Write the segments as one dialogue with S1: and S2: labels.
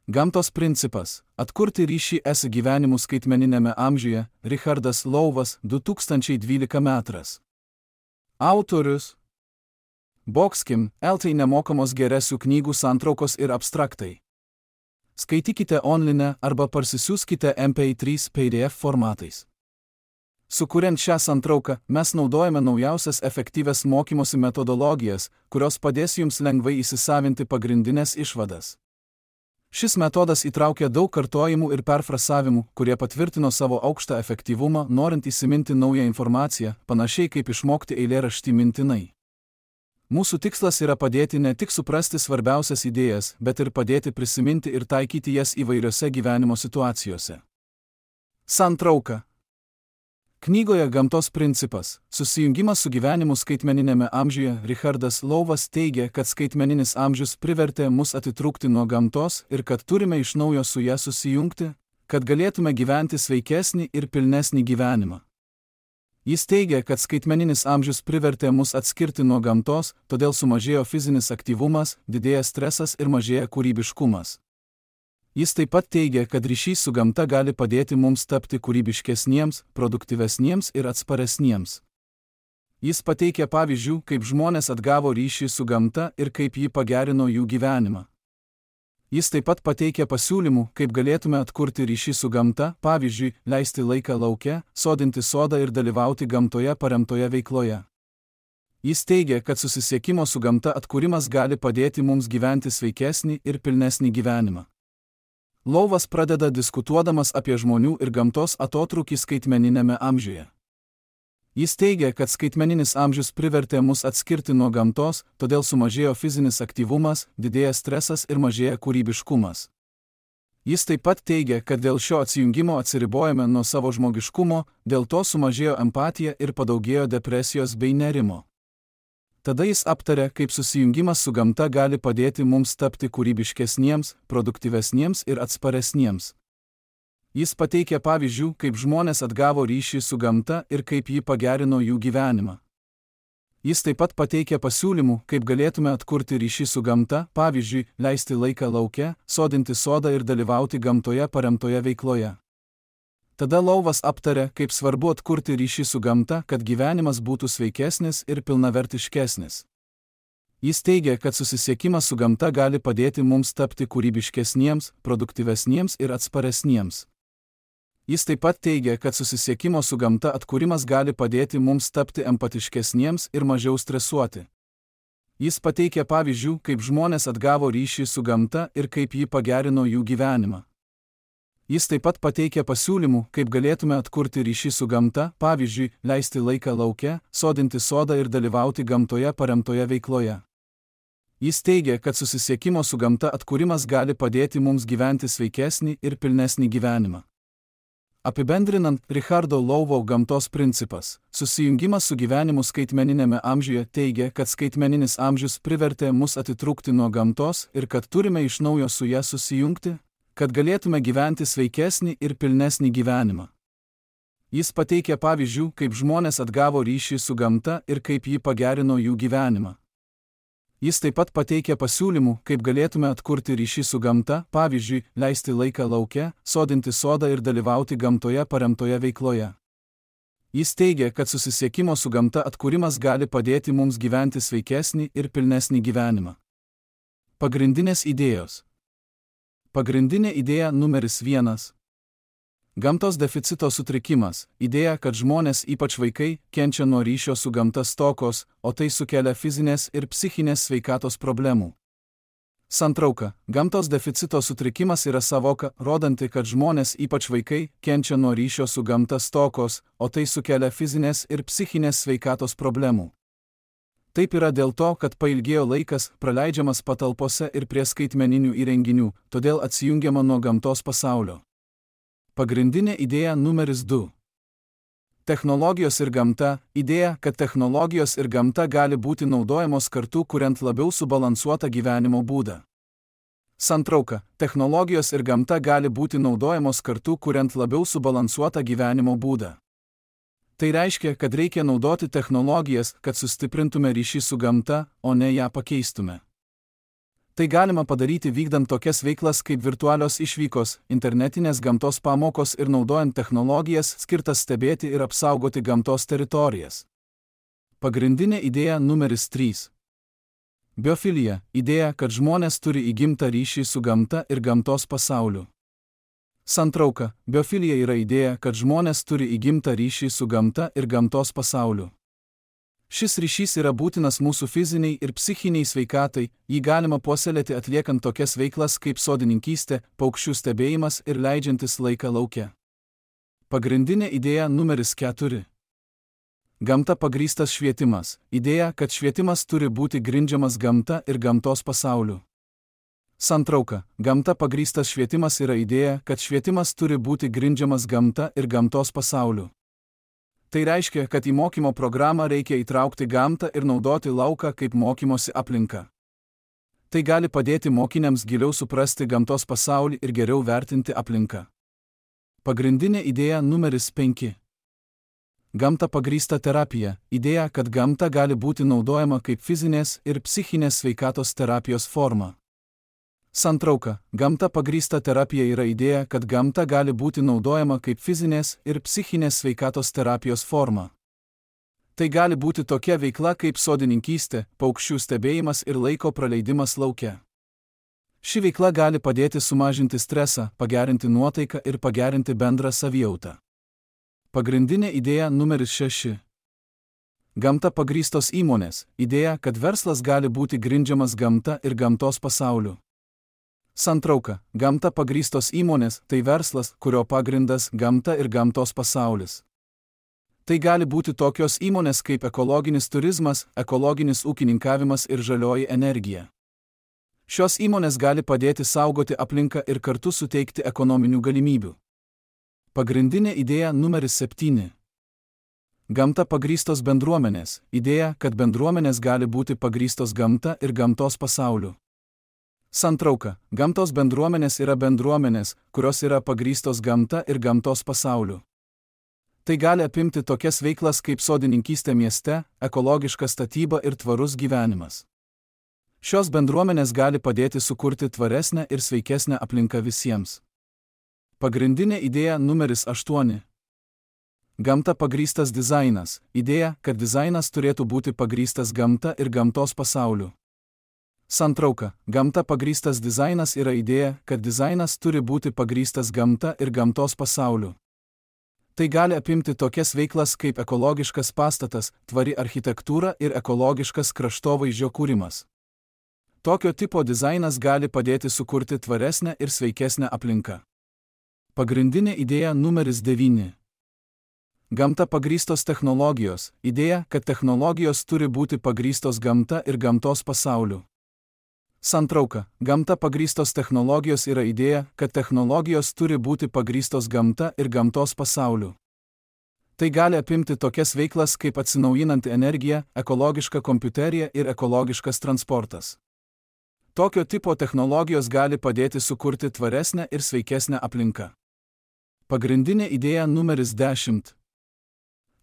S1: Gamtos principas – atkurti ryšį su gyvenimu skaitmeniniame amžiuje. Richardas Louvas, 2012 metras. Autorius Boxkim, LT nemokamos geresių knygų santraukos ir abstraktai. Skaitykite online arba parsisiųskite MP3 PDF formatais. Sukuriant šią santrauką, mes naudojame naujausias efektyvias mokymosi metodologijas, kurios padės jums lengvai įsisavinti pagrindinės išvadas. Šis metodas įtraukia daug kartojimų ir perfrasavimų, kurie patvirtino savo aukštą efektyvumą, norint įsiminti naują informaciją, panašiai kaip išmokti eilėraštį mintinai. Mūsų tikslas yra padėti ne tik suprasti svarbiausias idėjas, bet ir padėti prisiminti ir taikyti jas įvairiose gyvenimo situacijose. Santrauka. Knygoje Gamtos principas – susijungimas su gyvenimu skaitmeninėme amžiuje. Richardas Louvas teigia, kad skaitmeninis amžius privertė mus atitrūkti nuo gamtos ir kad turime iš naujo su ja susijungti, kad galėtume gyventi sveikesnį ir pilnesnį gyvenimą. Jis teigia, kad skaitmeninis amžius privertė mus atskirti nuo gamtos, todėl sumažėjo fizinis aktyvumas, didėja stresas ir mažėja kūrybiškumas. Jis taip pat teigia, kad ryšys su gamta gali padėti mums tapti kūrybiškesniems, produktyvesniems ir atsparesniems. Jis pateikia pavyzdžių, kaip žmonės atgavo ryšį su gamta ir kaip ji pagerino jų gyvenimą. Jis taip pat pateikia pasiūlymų, kaip galėtume atkurti ryšį su gamta, pavyzdžiui, leisti laiką lauke, sodinti sodą ir dalyvauti gamtoje paremtoje veikloje. Jis teigia, kad susisiekimo su gamta atkūrimas gali padėti mums gyventi sveikesnį ir pilnesnį gyvenimą. Louvas pradeda diskutuodamas apie žmonių ir gamtos atotrūkį skaitmeninėme amžiuje. Jis teigia, kad skaitmeninis amžius privertė mus atskirti nuo gamtos, todėl sumažėjo fizinis aktyvumas, didėja stresas ir mažėja kūrybiškumas. Jis taip pat teigia, kad dėl šio atsijungimo atsiribojame nuo savo žmogiškumo, dėl to sumažėjo empatija ir padaugėjo depresijos bei nerimo. Tada jis aptarė, kaip susijungimas su gamta gali padėti mums tapti kūrybiškesniems, produktyvesniems ir atsparesniems. Jis pateikė pavyzdžių, kaip žmonės atgavo ryšį su gamta ir kaip ji pagerino jų gyvenimą. Jis taip pat pateikė pasiūlymų, kaip galėtume atkurti ryšį su gamta, pavyzdžiui, leisti laiką lauke, sodinti sodą ir dalyvauti gamtoje paremtoje veikloje. Tada Louvas aptarė, kaip svarbu atkurti ryšį su gamta, kad gyvenimas būtų sveikesnis ir pilnavertiškesnis. Jis teigia, kad susisiekimas su gamta gali padėti mums tapti kūrybiškesniems, produktyvesniems ir atsparesniems. Jis taip pat teigia, kad susisiekimo su gamta atkūrimas gali padėti mums tapti empatiškesniems ir mažiau stresuoti. Jis pateikė pavyzdžių, kaip žmonės atgavo ryšį su gamta ir kaip ji pagerino jų gyvenimą. Jis taip pat pateikė pasiūlymų, kaip galėtume atkurti ryšį su gamta, pavyzdžiui, leisti laiką lauke, sodinti sodą ir dalyvauti gamtoje paremtoje veikloje. Jis teigia, kad susisiekimo su gamta atkūrimas gali padėti mums gyventi sveikesnį ir pilnesnį gyvenimą. Apibendrinant, Richardo Louvo gamtos principas – susijungimas su gyvenimu skaitmeninėme amžiuje teigia, kad skaitmeninis amžius privertė mus atitrūkti nuo gamtos ir kad turime iš naujo su ja susijungti, kad galėtume gyventi sveikesnį ir pilnesnį gyvenimą. Jis pateikė pavyzdžių, kaip žmonės atgavo ryšį su gamta ir kaip ji pagerino jų gyvenimą. Jis taip pat pateikė pasiūlymų, kaip galėtume atkurti ryšį su gamta, pavyzdžiui, leisti laiką lauke, sodinti sodą ir dalyvauti gamtoje paremtoje veikloje. Jis teigia, kad susisiekimo su gamta atkūrimas gali padėti mums gyventi sveikesnį ir pilnesnį gyvenimą. Pagrindinės idėjos. Pagrindinė idėja numeris 1. Gamtos deficito sutrikimas. Idėja, kad žmonės, ypač vaikai, kenčia nuo ryšio su gamta stokos, o tai sukelia fizinės ir psichinės sveikatos problemų. Santrauka. Gamtos deficito sutrikimas yra sąvoka, rodanti, kad žmonės, ypač vaikai, kenčia nuo ryšio su gamta stokos, o tai sukelia fizinės ir psichinės sveikatos problemų. Taip yra dėl to, kad pailgėjo laikas, praleidžiamas patalpose ir prie skaitmeninių įrenginių, todėl atsijungiama nuo gamtos pasaulio. Pagrindinė idėja numeris 2. Technologijos ir gamta. Idėja, kad technologijos ir gamta gali būti naudojamos kartu, kuriant labiau subalansuotą gyvenimo būdą. Santrauka. Technologijos ir gamta gali būti naudojamos kartu, kuriant labiau subalansuotą gyvenimo būdą. Tai reiškia, kad reikia naudoti technologijas, kad sustiprintume ryšį su gamta, o ne ją pakeistume. Tai galima padaryti vykdant tokias veiklas kaip virtualios išvykos, internetinės gamtos pamokos ir naudojant technologijas skirtas stebėti ir apsaugoti gamtos teritorijas. Pagrindinė idėja numeris 3. Biofilija – idėja, kad žmonės turi įgimtą ryšį su gamta ir gamtos pasauliu. Santrauka – biofilija yra idėja, kad žmonės turi įgimtą ryšį su gamta ir gamtos pasauliu. Šis ryšys yra būtinas mūsų fiziniai ir psichiniai sveikatai, jį galima puoselėti atliekant tokias veiklas kaip sodininkystė, paukščių stebėjimas ir leidžiantis laiką lauke. Pagrindinė idėja numeris 4. Gamta pagrįstas švietimas – idėja, kad švietimas turi būti grindžiamas gamta ir gamtos pasauliu. Santrauka – gamta pagrįstas švietimas yra idėja, kad švietimas turi būti grindžiamas gamta ir gamtos pasauliu. Tai reiškia, kad į mokymo programą reikia įtraukti gamtą ir naudoti lauką kaip mokymosi aplinką. Tai gali padėti mokiniams giliau suprasti gamtos pasaulį ir geriau vertinti aplinką. Pagrindinė idėja numeris 5. Gamta pagrįsta terapija – idėja, kad gamta gali būti naudojama kaip fizinės ir psichinės sveikatos terapijos forma. Santrauka – gamta pagrįsta terapija yra idėja, kad gamta gali būti naudojama kaip fizinės ir psichinės sveikatos terapijos forma. Tai gali būti tokia veikla kaip sodininkystė, paukščių stebėjimas ir laiko praleidimas lauke. Ši veikla gali padėti sumažinti stresą, pagerinti nuotaiką ir pagerinti bendrą savijautą. Pagrindinė idėja numeris 6. Gamta pagrįstos įmonės – idėja, kad verslas gali būti grindžiamas gamta ir gamtos pasauliu. Santrauka – gamta pagrįstos įmonės – tai verslas, kurio pagrindas gamta ir gamtos pasaulis. Tai gali būti tokios įmonės kaip ekologinis turizmas, ekologinis ūkininkavimas ir žalioji energija. Šios įmonės gali padėti saugoti aplinką ir kartu suteikti ekonominių galimybių. Pagrindinė idėja numeris 7. Gamta pagrįstos bendruomenės – idėja, kad bendruomenės gali būti pagrįstos gamta ir gamtos pasauliu. Santrauka – gamtos bendruomenės yra bendruomenės, kurios yra pagrįstos gamta ir gamtos pasauliu. Tai gali apimti tokias veiklas kaip sodininkystė mieste, ekologiška statyba ir tvarus gyvenimas. Šios bendruomenės gali padėti sukurti tvaresnę ir sveikesnę aplinką visiems. Pagrindinė idėja numeris 8. Gamta pagrįstas dizainas – idėja, kad dizainas turėtų būti pagrįstas gamta ir gamtos pasauliu. Santrauka – gamta pagrįstas dizainas yra idėja, kad dizainas turi būti pagrįstas gamta ir gamtos pasauliu. Tai gali apimti tokias veiklas kaip ekologiškas pastatas, tvari architektūra ir ekologiškas kraštovaizdžio kūrimas. Tokio tipo dizainas gali padėti sukurti tvaresnę ir sveikesnę aplinką. Pagrindinė idėja numeris 9. Gamta pagrįstos technologijos – idėja, kad technologijos turi būti pagrįstos gamta ir gamtos pasauliu. Santrauka – gamta pagrįstos technologijos yra idėja, kad technologijos turi būti pagrįstos gamta ir gamtos pasauliu. Tai gali apimti tokias veiklas kaip atsinaujinanti energija, ekologiška kompiuterija ir ekologiškas transportas. Tokio tipo technologijos gali padėti sukurti tvaresnę ir sveikesnę aplinką. Pagrindinė idėja numeris 10.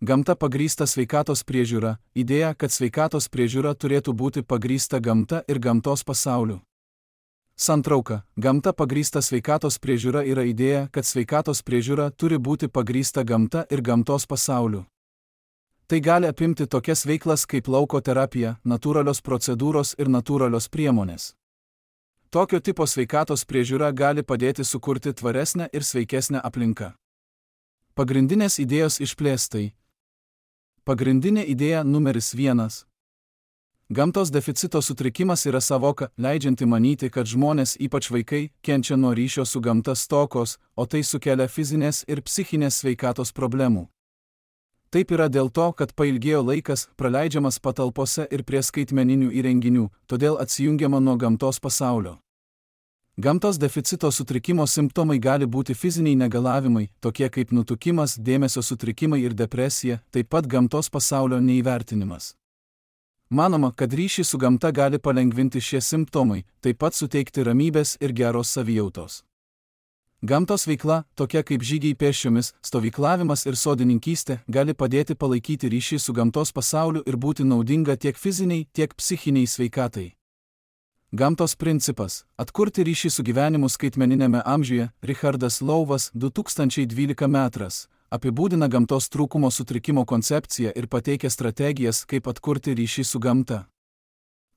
S1: Gamta pagrįsta sveikatos priežiūra – idėja, kad sveikatos priežiūra turėtų būti pagrįsta gamta ir gamtos pasauliu. Santrauka – gamta pagrįsta sveikatos priežiūra yra idėja, kad sveikatos priežiūra turi būti pagrįsta gamta ir gamtos pasauliu. Tai gali apimti tokias veiklas kaip lauko terapija, natūralios procedūros ir natūralios priemonės. Tokio tipo sveikatos priežiūra gali padėti sukurti tvaresnę ir sveikesnę aplinką. Pagrindinės idėjos išplėstai. Pagrindinė idėja numeris 1. Gamtos deficito sutrikimas yra savoka, leidžianti manyti, kad žmonės, ypač vaikai, kenčia nuo ryšio su gamta stokos, o tai sukelia fizinės ir psichinės sveikatos problemų. Taip yra dėl to, kad pailgėjo laikas, praleidžiamas patalpose ir prie skaitmeninių įrenginių, todėl atsijungiama nuo gamtos pasaulio. Gamtos deficito sutrikimo simptomai gali būti fiziniai negalavimai, tokie kaip nutukimas, dėmesio sutrikimai ir depresija, taip pat gamtos pasaulio neįvertinimas. Manoma, kad ryšį su gamta gali palengvinti šie simptomai, taip pat suteikti ramybės ir geros savijautos. Gamtos veikla, tokia kaip žygiai pėsčiomis, stovyklavimas ir sodininkystė, gali padėti palaikyti ryšį su gamtos pasauliu ir būti naudinga tiek fiziniai, tiek psichiniai sveikatai. Gamtos principas – atkurti ryšį su gyvenimu skaitmeninėme amžiuje. Richardas Louvas 2012 metras apibūdina gamtos trūkumo sutrikimo koncepciją ir pateikia strategijas, kaip atkurti ryšį su gamta.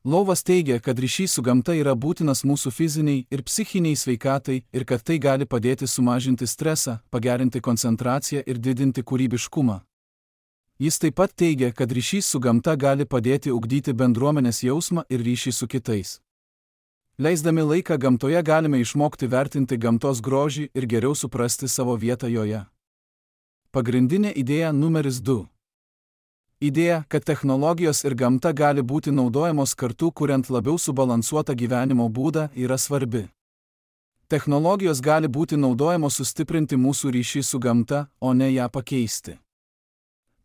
S1: Louvas teigia, kad ryšys su gamta yra būtinas mūsų fiziniai ir psichiniai sveikatai ir kad tai gali padėti sumažinti stresą, pagerinti koncentraciją ir didinti kūrybiškumą. Jis taip pat teigia, kad ryšys su gamta gali padėti ugdyti bendruomenės jausmą ir ryšį su kitais. Leisdami laiką gamtoje galime išmokti vertinti gamtos grožį ir geriau suprasti savo vietą joje. Pagrindinė idėja numeris 2. Idėja, kad technologijos ir gamta gali būti naudojamos kartu kuriant labiau subalansuotą gyvenimo būdą, yra svarbi. Technologijos gali būti naudojamos sustiprinti mūsų ryšį su gamta, o ne ją pakeisti.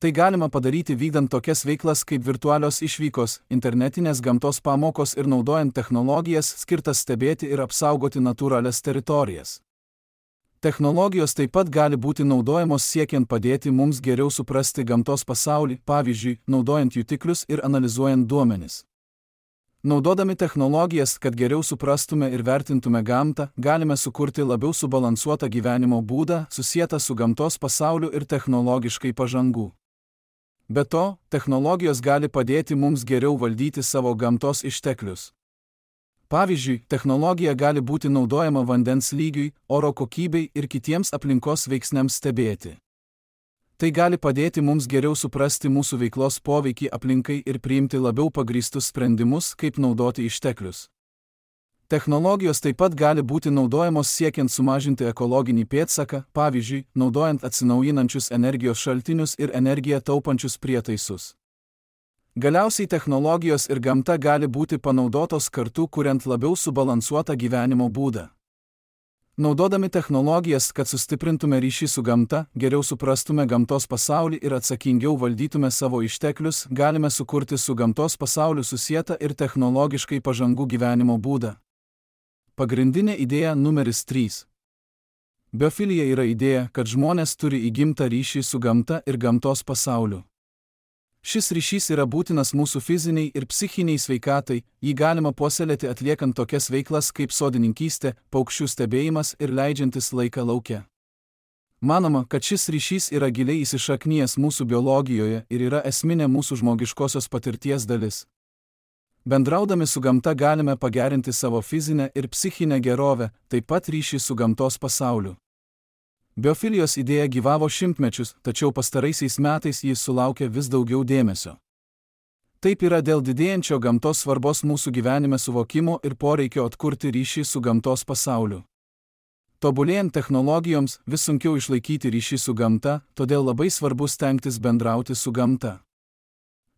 S1: Tai galima padaryti vykdant tokias veiklas kaip virtualios išvykos, internetinės gamtos pamokos ir naudojant technologijas skirtas stebėti ir apsaugoti natūralias teritorijas. Technologijos taip pat gali būti naudojamos siekiant padėti mums geriau suprasti gamtos pasaulį, pavyzdžiui, naudojant jutiklius ir analizuojant duomenis. Naudodami technologijas, kad geriau suprastume ir vertintume gamtą, galime sukurti labiau subalansuotą gyvenimo būdą, susietą su gamtos pasauliu ir technologiškai pažangų. Be to, technologijos gali padėti mums geriau valdyti savo gamtos išteklius. Pavyzdžiui, technologija gali būti naudojama vandens lygiui, oro kokybei ir kitiems aplinkos veiksniams stebėti. Tai gali padėti mums geriau suprasti mūsų veiklos poveikį aplinkai ir priimti labiau pagrįstus sprendimus, kaip naudoti išteklius. Technologijos taip pat gali būti naudojamos siekiant sumažinti ekologinį pėdsaką, pavyzdžiui, naudojant atsinaujinančius energijos šaltinius ir energiją taupančius prietaisus. Galiausiai technologijos ir gamta gali būti panaudotos kartu, kuriant labiau subalansuotą gyvenimo būdą. Naudodami technologijas, kad sustiprintume ryšį su gamta, geriau suprastume gamtos pasaulį ir atsakingiau valdytume savo išteklius, galime sukurti su gamtos pasauliu susietą ir technologiškai pažangų gyvenimo būdą. Pagrindinė idėja numeris 3. Biofilija yra idėja, kad žmonės turi įgimtą ryšį su gamta ir gamtos pasauliu. Šis ryšys yra būtinas mūsų fiziniai ir psichiniai sveikatai, jį galima puoselėti atliekant tokias veiklas kaip sodininkystė, paukščių stebėjimas ir leidžiantis laiką lauke. Manoma, kad šis ryšys yra giliai įsišaknijęs mūsų biologijoje ir yra esminė mūsų žmogiškosios patirties dalis. Bendraudami su gamta galime pagerinti savo fizinę ir psichinę gerovę, taip pat ryšį su gamtos pasauliu. Biofilijos idėja gyvavo šimtmečius, tačiau pastaraisiais metais jis sulaukė vis daugiau dėmesio. Taip yra dėl didėjančio gamtos svarbos mūsų gyvenime suvokimo ir poreikio atkurti ryšį su gamtos pasauliu. Tobulėjant technologijoms, vis sunkiau išlaikyti ryšį su gamta, todėl labai svarbu stengtis bendrauti su gamta.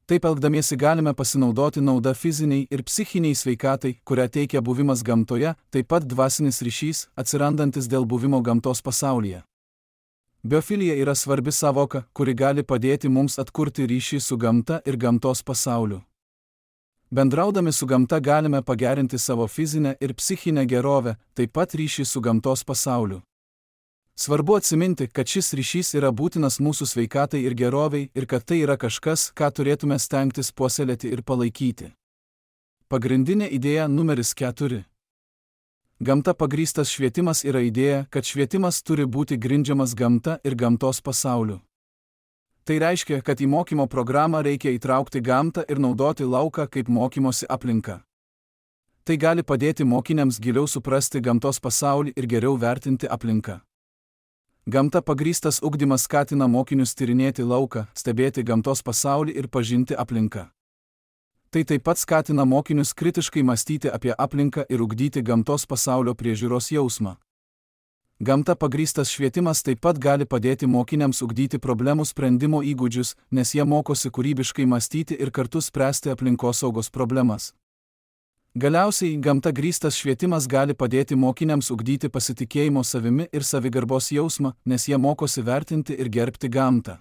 S1: Taip elgdamiesi galime pasinaudoti nauda fiziniai ir psichiniai sveikatai, kurią teikia buvimas gamtoje, taip pat dvasinis ryšys, atsirandantis dėl buvimo gamtos pasaulyje. Biofilija yra svarbi savoka, kuri gali padėti mums atkurti ryšį su gamta ir gamtos pasauliu. Bendraudami su gamta galime pagerinti savo fizinę ir psichinę gerovę, taip pat ryšį su gamtos pasauliu. Svarbu atsiminti, kad šis ryšys yra būtinas mūsų sveikatai ir geroviai ir kad tai yra kažkas, ką turėtume stengtis puoselėti ir palaikyti. Pagrindinė idėja numeris 4. Gamta pagrįstas švietimas yra idėja, kad švietimas turi būti grindžiamas gamta ir gamtos pasauliu. Tai reiškia, kad į mokymo programą reikia įtraukti gamtą ir naudoti lauką kaip mokymosi aplinką. Tai gali padėti mokiniams giliau suprasti gamtos pasaulį ir geriau vertinti aplinką. Gamta pagrįstas ugdymas skatina mokinius tyrinėti lauką, stebėti gamtos pasaulį ir pažinti aplinką. Tai taip pat skatina mokinius kritiškai mąstyti apie aplinką ir ugdyti gamtos pasaulio priežiūros jausmą. Gamta pagrįstas švietimas taip pat gali padėti mokiniams ugdyti problemų sprendimo įgūdžius, nes jie mokosi kūrybiškai mąstyti ir kartu spręsti aplinkosaugos problemas. Galiausiai, gamta grįstas švietimas gali padėti mokiniams ugdyti pasitikėjimo savimi ir savigarbos jausmą, nes jie mokosi vertinti ir gerbti gamtą.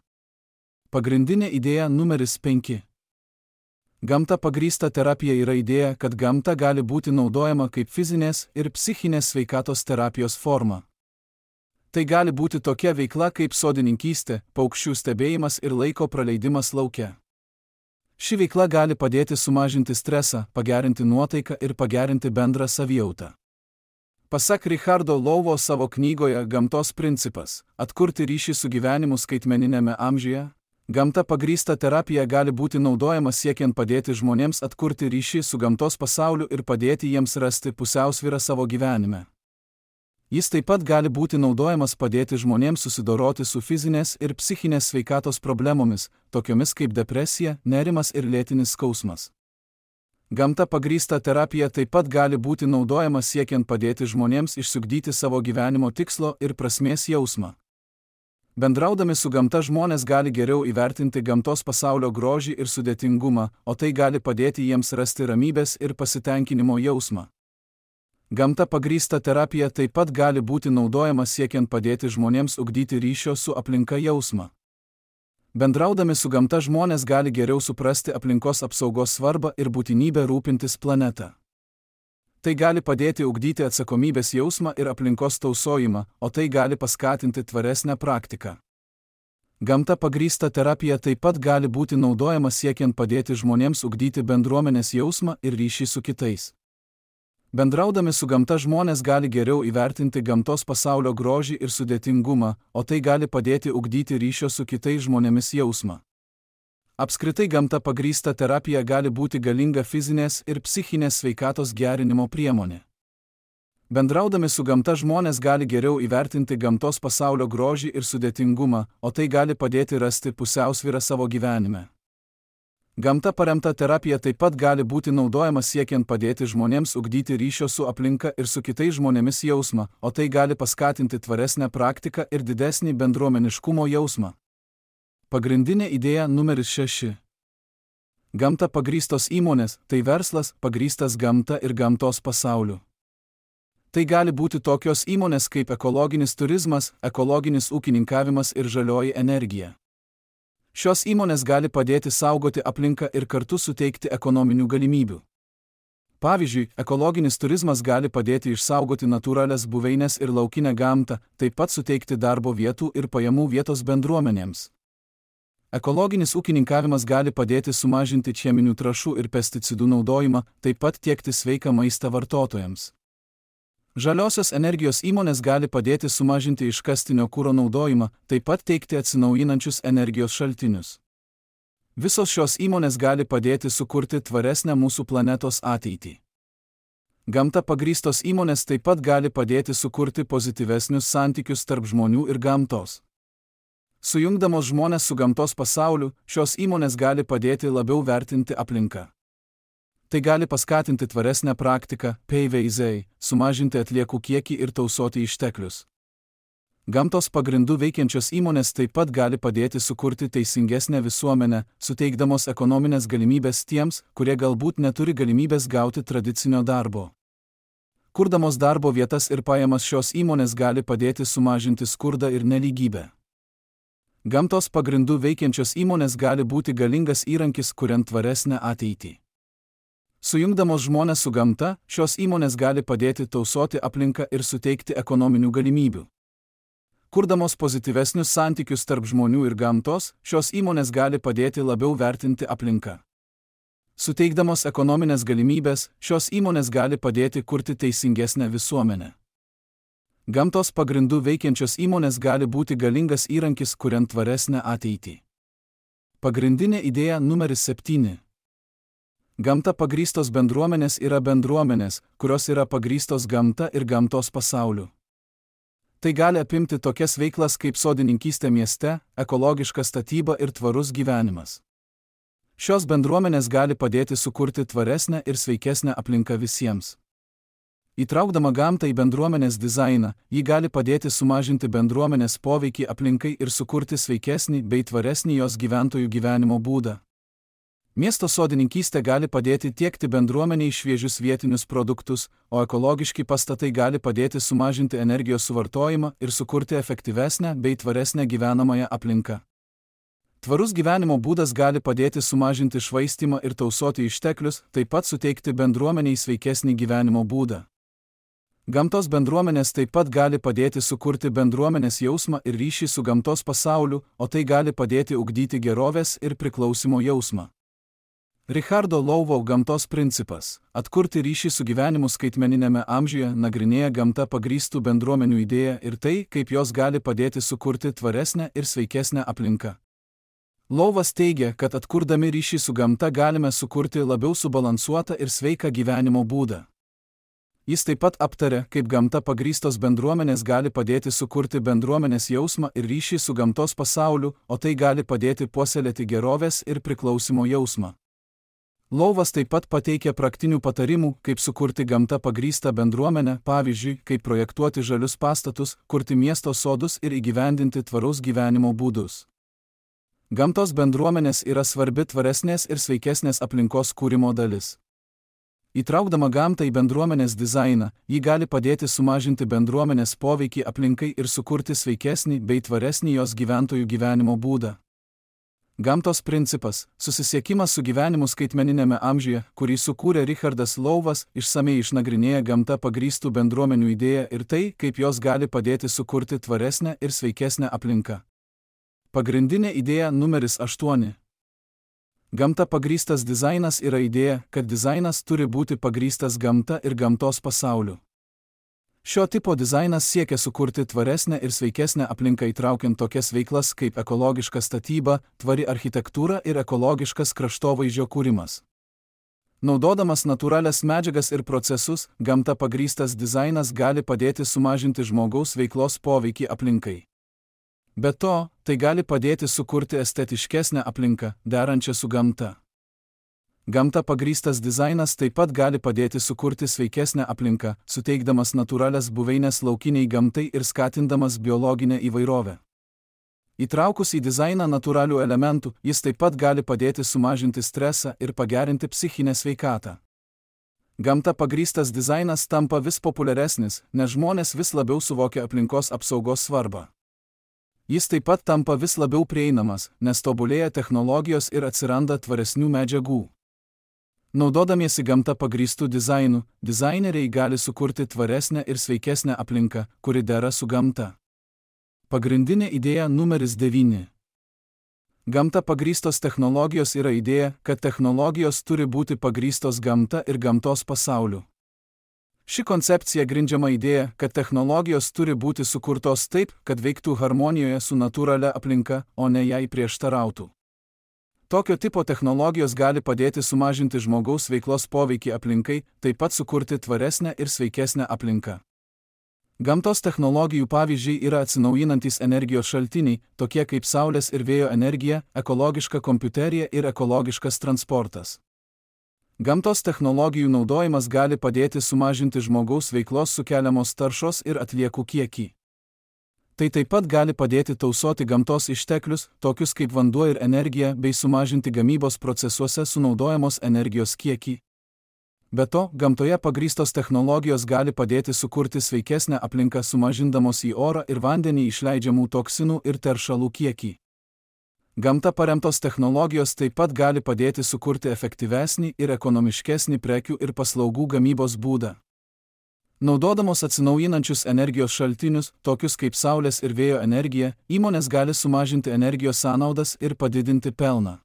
S1: Pagrindinė idėja numeris 5. Gamta pagrįsta terapija yra idėja, kad gamta gali būti naudojama kaip fizinės ir psichinės sveikatos terapijos forma. Tai gali būti tokia veikla kaip sodininkystė, paukščių stebėjimas ir laiko praleidimas lauke. Ši veikla gali padėti sumažinti stresą, pagerinti nuotaiką ir pagerinti bendrą savijautą. Pasak Richardo Louvo savo knygoje Gamtos principas – atkurti ryšį su gyvenimu skaitmeniniame amžiuje, gamta pagrįsta terapija gali būti naudojama siekiant padėti žmonėms atkurti ryšį su gamtos pasauliu ir padėti jiems rasti pusiausvyrą savo gyvenime. Jis taip pat gali būti naudojamas padėti žmonėms susidoroti su fizinės ir psichinės sveikatos problemomis, tokiomis kaip depresija, nerimas ir lėtinis skausmas. Gamta pagrįsta terapija taip pat gali būti naudojama siekiant padėti žmonėms išsiugdyti savo gyvenimo tikslo ir prasmės jausmą. Bendraudami su gamta žmonės gali geriau įvertinti gamtos pasaulio grožį ir sudėtingumą, o tai gali padėti jiems rasti ramybės ir pasitenkinimo jausmą. Gamta pagrįsta terapija taip pat gali būti naudojama siekiant padėti žmonėms ugdyti ryšio su aplinka jausmą. Bendraudami su gamta žmonės gali geriau suprasti aplinkos apsaugos svarbą ir būtinybę rūpintis planetą. Tai gali padėti ugdyti atsakomybės jausmą ir aplinkos tausojimą, o tai gali paskatinti tvaresnę praktiką. Gamta pagrįsta terapija taip pat gali būti naudojama siekiant padėti žmonėms ugdyti bendruomenės jausmą ir ryšį su kitais. Bendraudami su gamta žmonės gali geriau įvertinti gamtos pasaulio grožį ir sudėtingumą, o tai gali padėti ugdyti ryšio su kitais žmonėmis jausmą. Apskritai gamta pagrįsta terapija gali būti galinga fizinės ir psichinės sveikatos gerinimo priemonė. Bendraudami su gamta žmonės gali geriau įvertinti gamtos pasaulio grožį ir sudėtingumą, o tai gali padėti rasti pusiausvyrą savo gyvenime. Gamta paremta terapija taip pat gali būti naudojama siekiant padėti žmonėms ugdyti ryšio su aplinka ir su kitais žmonėmis jausmą, o tai gali paskatinti tvaresnę praktiką ir didesnį bendruomeniškumo jausmą. Pagrindinė idėja numeris 6. Gamta pagrįstos įmonės – tai verslas pagrįstas gamta ir gamtos pasauliu. Tai gali būti tokios įmonės kaip ekologinis turizmas, ekologinis ūkininkavimas ir žalioji energija. Šios įmonės gali padėti saugoti aplinką ir kartu suteikti ekonominių galimybių. Pavyzdžiui, ekologinis turizmas gali padėti išsaugoti natūralias buveines ir laukinę gamtą, taip pat suteikti darbo vietų ir pajamų vietos bendruomenėms. Ekologinis ūkininkavimas gali padėti sumažinti cheminių trąšų ir pesticidų naudojimą, taip pat tiekti sveiką maistą vartotojams. Žaliosios energijos įmonės gali padėti sumažinti iškastinio kuro naudojimą, taip pat teikti atsinaujinančius energijos šaltinius. Visos šios įmonės gali padėti sukurti tvaresnę mūsų planetos ateitį. Gamta pagrįstos įmonės taip pat gali padėti sukurti pozityvesnius santykius tarp žmonių ir gamtos. Sujungdamos žmones su gamtos pasauliu, šios įmonės gali padėti labiau vertinti aplinką. Tai gali paskatinti tvaresnę praktiką, PVZ, sumažinti atliekų kiekį ir tausoti išteklius. Gamtos pagrindų veikiančios įmonės taip pat gali padėti sukurti teisingesnę visuomenę, suteikdamos ekonominės galimybės tiems, kurie galbūt neturi galimybės gauti tradicinio darbo. Kurdamos darbo vietas ir pajamas šios įmonės gali padėti sumažinti skurdą ir nelygybę. Gamtos pagrindų veikiančios įmonės gali būti galingas įrankis, kuriant tvaresnę ateitį. Sujungdamos žmones su gamta, šios įmonės gali padėti tausoti aplinką ir suteikti ekonominių galimybių. Kurdamos pozityvesnius santykius tarp žmonių ir gamtos, šios įmonės gali padėti labiau vertinti aplinką. Suteikdamos ekonominės galimybės, šios įmonės gali padėti kurti teisingesnę visuomenę. Gamtos pagrindų veikiančios įmonės gali būti galingas įrankis, kuriant tvaresnę ateitį. Pagrindinė idėja numeris 7. Gamta pagrįstos bendruomenės yra bendruomenės, kurios yra pagrįstos gamta ir gamtos pasauliu. Tai gali apimti tokias veiklas kaip sodininkystė mieste, ekologiška statyba ir tvarus gyvenimas. Šios bendruomenės gali padėti sukurti tvaresnę ir sveikesnę aplinką visiems. Įtraukdama gamtą į bendruomenės dizainą, ji gali padėti sumažinti bendruomenės poveikį aplinkai ir sukurti sveikesnį bei tvaresnį jos gyventojų gyvenimo būdą. Miesto sodininkystė gali padėti tiekti bendruomeniai šviežius vietinius produktus, o ekologiški pastatai gali padėti sumažinti energijos suvartojimą ir sukurti efektyvesnę bei tvaresnę gyvenamąją aplinką. Tvarus gyvenimo būdas gali padėti sumažinti švaistymą ir tausoti išteklius, taip pat suteikti bendruomeniai sveikesnį gyvenimo būdą. Gamtos bendruomenės taip pat gali padėti sukurti bendruomenės jausmą ir ryšį su gamtos pasauliu, o tai gali padėti ugdyti gerovės ir priklausimo jausmą. Richardo Louvo gamtos principas – atkurti ryšį su gyvenimu skaitmeninėme amžiuje nagrinėja gamta pagrįstų bendruomenių idėją ir tai, kaip jos gali padėti sukurti tvaresnę ir sveikesnę aplinką. Louvas teigia, kad atkurdami ryšį su gamta galime sukurti labiau subalansuotą ir sveiką gyvenimo būdą. Jis taip pat aptarė, kaip gamta pagrįstos bendruomenės gali padėti sukurti bendruomenės jausmą ir ryšį su gamtos pasauliu, o tai gali padėti puoselėti gerovės ir priklausimo jausmą. Louvas taip pat pateikė praktinių patarimų, kaip sukurti gamta pagrįstą bendruomenę, pavyzdžiui, kaip projektuoti žalius pastatus, kurti miesto sodus ir įgyvendinti tvaraus gyvenimo būdus. Gamtos bendruomenės yra svarbi tvaresnės ir sveikesnės aplinkos kūrimo dalis. Įtraukdama gamtą į bendruomenės dizainą, ji gali padėti sumažinti bendruomenės poveikį aplinkai ir sukurti sveikesnį bei tvaresnį jos gyventojų gyvenimo būdą. Gamtos principas – susisiekimas su gyvenimu skaitmeninėme amžiuje, kurį sukūrė Richardas Louvas, išsamiai išnagrinėja gamta pagrįstų bendruomenių idėją ir tai, kaip jos gali padėti sukurti tvaresnę ir sveikesnę aplinką. Pagrindinė idėja numeris 8. Gamta pagrįstas dizainas yra idėja, kad dizainas turi būti pagrįstas gamta ir gamtos pasauliu. Šio tipo dizainas siekia sukurti tvaresnę ir sveikesnę aplinką įtraukiant tokias veiklas kaip ekologiška statyba, tvari architektūra ir ekologiškas kraštovaizdžio kūrimas. Naudodamas natūralias medžiagas ir procesus, gamta pagrįstas dizainas gali padėti sumažinti žmogaus veiklos poveikį aplinkai. Be to, tai gali padėti sukurti estetiškesnę aplinką, derančią su gamta. Gamta pagrįstas dizainas taip pat gali padėti sukurti sveikesnę aplinką, suteikdamas natūralias buveinės laukiniai gamtai ir skatindamas biologinę įvairovę. Įtraukus į dizainą natūralių elementų, jis taip pat gali padėti sumažinti stresą ir pagerinti psichinę sveikatą. Gamta pagrįstas dizainas tampa vis populiaresnis, nes žmonės vis labiau suvokia aplinkos apsaugos svarbą. Jis taip pat tampa vis labiau prieinamas, nes tobulėja technologijos ir atsiranda tvaresnių medžiagų. Naudodamiesi gamta pagrįstų dizainų, dizaineriai gali sukurti tvaresnę ir sveikesnę aplinką, kuri dera su gamta. Pagrindinė idėja numeris 9. Gamta pagrįstos technologijos yra idėja, kad technologijos turi būti pagrįstos gamta ir gamtos pasauliu. Ši koncepcija grindžiama idėja, kad technologijos turi būti sukurtos taip, kad veiktų harmonijoje su natūralia aplinka, o ne jai prieštarautų. Tokio tipo technologijos gali padėti sumažinti žmogaus veiklos poveikį aplinkai, taip pat sukurti tvaresnę ir sveikesnę aplinką. Gamtos technologijų pavyzdžiai yra atsinaujinantys energijos šaltiniai, tokie kaip saulės ir vėjo energija, ekologiška kompiuterija ir ekologiškas transportas. Gamtos technologijų naudojimas gali padėti sumažinti žmogaus veiklos sukeliamos taršos ir atliekų kiekį. Tai taip pat gali padėti tausoti gamtos išteklius, tokius kaip vanduo ir energija, bei sumažinti gamybos procesuose sunaudojamos energijos kiekį. Be to, gamtoje pagrįstos technologijos gali padėti sukurti sveikesnę aplinką sumažindamos į orą ir vandenį išleidžiamų toksinų ir teršalų kiekį. Gamta paremtos technologijos taip pat gali padėti sukurti efektyvesnį ir ekonomiškesnį prekių ir paslaugų gamybos būdą. Naudodamos atsinaujinančius energijos šaltinius, tokius kaip saulės ir vėjo energija, įmonės gali sumažinti energijos sąnaudas ir padidinti pelną.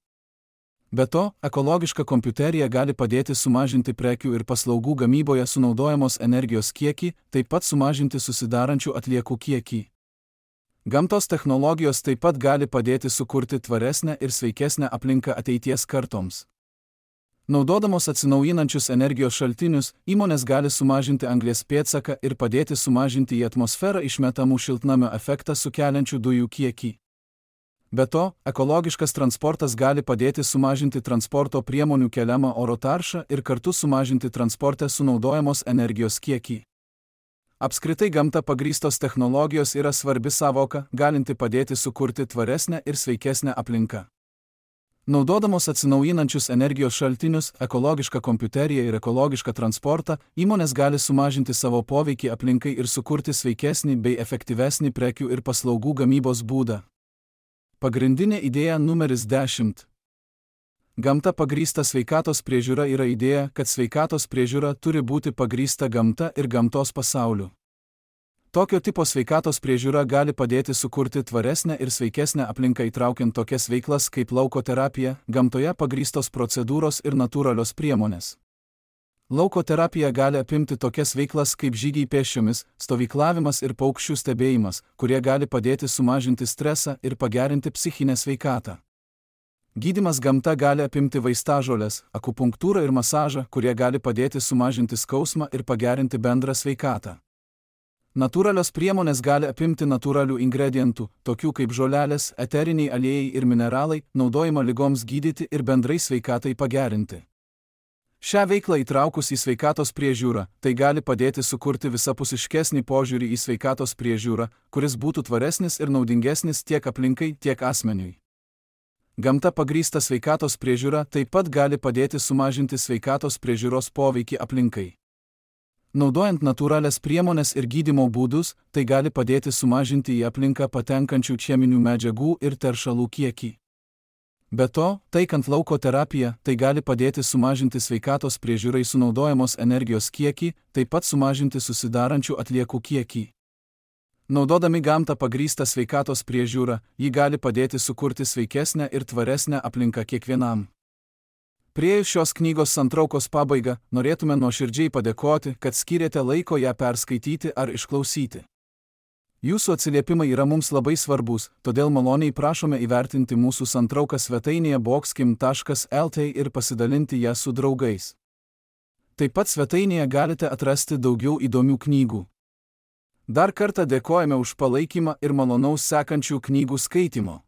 S1: Be to, ekologiška kompiuterija gali padėti sumažinti prekių ir paslaugų gamyboje sunaudojamos energijos kiekį, taip pat sumažinti susidarančių atliekų kiekį. Gamtos technologijos taip pat gali padėti sukurti tvaresnę ir sveikesnę aplinką ateities kartoms. Naudodamos atsinaujinančius energijos šaltinius, įmonės gali sumažinti anglies pėdsaką ir padėti sumažinti į atmosferą išmetamų šiltnamio efektą sukeliančių dujų kiekį. Be to, ekologiškas transportas gali padėti sumažinti transporto priemonių keliamą oro taršą ir kartu sumažinti transporte sunaudojamos energijos kiekį. Apskritai gamta pagrįstos technologijos yra svarbi sąvoka, galinti padėti sukurti tvaresnę ir sveikesnę aplinką. Naudodamos atsinaujinančius energijos šaltinius, ekologišką kompiuteriją ir ekologišką transportą, įmonės gali sumažinti savo poveikį aplinkai ir sukurti sveikesnį bei efektyvesnį prekių ir paslaugų gamybos būdą. Pagrindinė idėja numeris 10. Gamta pagrįsta sveikatos priežiūra yra idėja, kad sveikatos priežiūra turi būti pagrįsta gamta ir gamtos pasauliu. Tokio tipo sveikatos priežiūra gali padėti sukurti tvaresnę ir sveikesnę aplinką įtraukiant tokias veiklas kaip lauko terapija, gamtoje pagrįstos procedūros ir natūralios priemonės. Lauko terapija gali apimti tokias veiklas kaip žygiai pėsčiomis, stovyklavimas ir paukščių stebėjimas, kurie gali padėti sumažinti stresą ir pagerinti psichinę sveikatą. Gydymas gamta gali apimti vaistažoles, akupunktūrą ir masažą, kurie gali padėti sumažinti skausmą ir pagerinti bendrą sveikatą. Natūralios priemonės gali apimti natūralių ingredientų, tokių kaip žolelės, eteriniai aliejai ir mineralai, naudojimą ligoms gydyti ir bendrai sveikatai pagerinti. Šią veiklą įtraukus į sveikatos priežiūrą, tai gali padėti sukurti visapusiškesnį požiūrį į sveikatos priežiūrą, kuris būtų tvaresnis ir naudingesnis tiek aplinkai, tiek asmeniui. Gamta pagrįsta sveikatos priežiūra taip pat gali padėti sumažinti sveikatos priežiūros poveikį aplinkai. Naudojant natūralias priemonės ir gydymo būdus, tai gali padėti sumažinti į aplinką patenkančių cheminių medžiagų ir teršalų kiekį. Be to, taikant lauko terapiją, tai gali padėti sumažinti sveikatos priežiūrai sunaudojamos energijos kiekį, taip pat sumažinti susidarančių atliekų kiekį. Naudodami gamtą pagrįstą sveikatos priežiūrą, ji gali padėti sukurti sveikesnę ir tvaresnę aplinką kiekvienam. Priėjus šios knygos santraukos pabaigą, norėtume nuoširdžiai padėkoti, kad skyrėte laiko ją perskaityti ar išklausyti. Jūsų atsiliepimai yra mums labai svarbus, todėl maloniai prašome įvertinti mūsų santrauką svetainėje boxkim.lt ir pasidalinti ją su draugais. Taip pat svetainėje galite atrasti daugiau įdomių knygų. Dar kartą dėkojame už palaikymą ir malonaus sekančių knygų skaitimo.